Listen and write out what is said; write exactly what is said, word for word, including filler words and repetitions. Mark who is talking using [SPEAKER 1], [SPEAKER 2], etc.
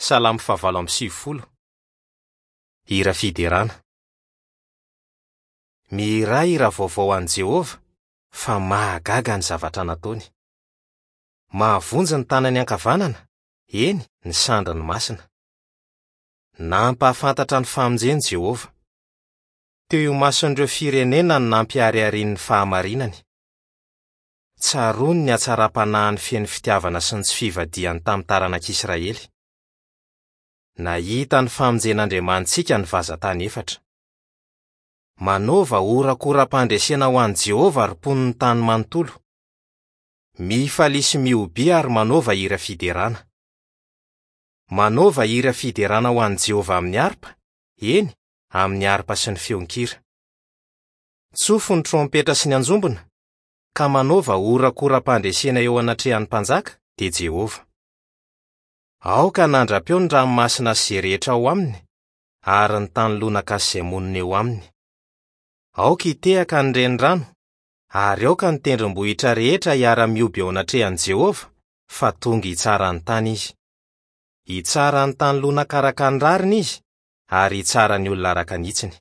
[SPEAKER 1] Salamo fahavalo amby sivifolo. Hira fiderana. Mihirà hira vaovao an'i Jehovah fa mahagaga ny zavatra nataony. Mahavonjy ny tanany ankavanana, eny, ny sandriny masina. Nampahafantatra ny famonjeny Jehovah. Teo imason'ireo firenena no nampiharihariany ny fahamarinany. Tsaroany ny hatsaram-panahiny feno fitiavana sy ny tsy fivadihany tamin'ny taranak'Israely. Nahita ny famonjen'Andriamanitsika ny vazan-tany efatra. Manaova horakoram-pandresena ho an'i Jehovah ry mponin'ny tany manontolo. Mifalia sy mihobia ary manaova hira fiderana. Manaova hira fiderana ho an'i Jehovah amin'ny harpa, eny, amin'ny harpa sy ny feon-kira. Tsofy ny trompetra sy ny anjombona, ka manaova horakoram-pandresena eo anatrehan'ny mpanjaka, dia Jehovah. Aoka hanandra-peo ny ranomasina sy izay rehetra ao aminy, ary ny tany lonaka sy izay monina eo aminy. Aoka hitehaka ny renirano, ary aoka ny tendrombohitra rehetra hiara-mihoby eo anatrehan'i Jehovah, fa tonga hitsara ny tany izy. Hitsara ny tany lonaka araka ny rariny izy, ary hitsara ny olona araka ny hitsiny.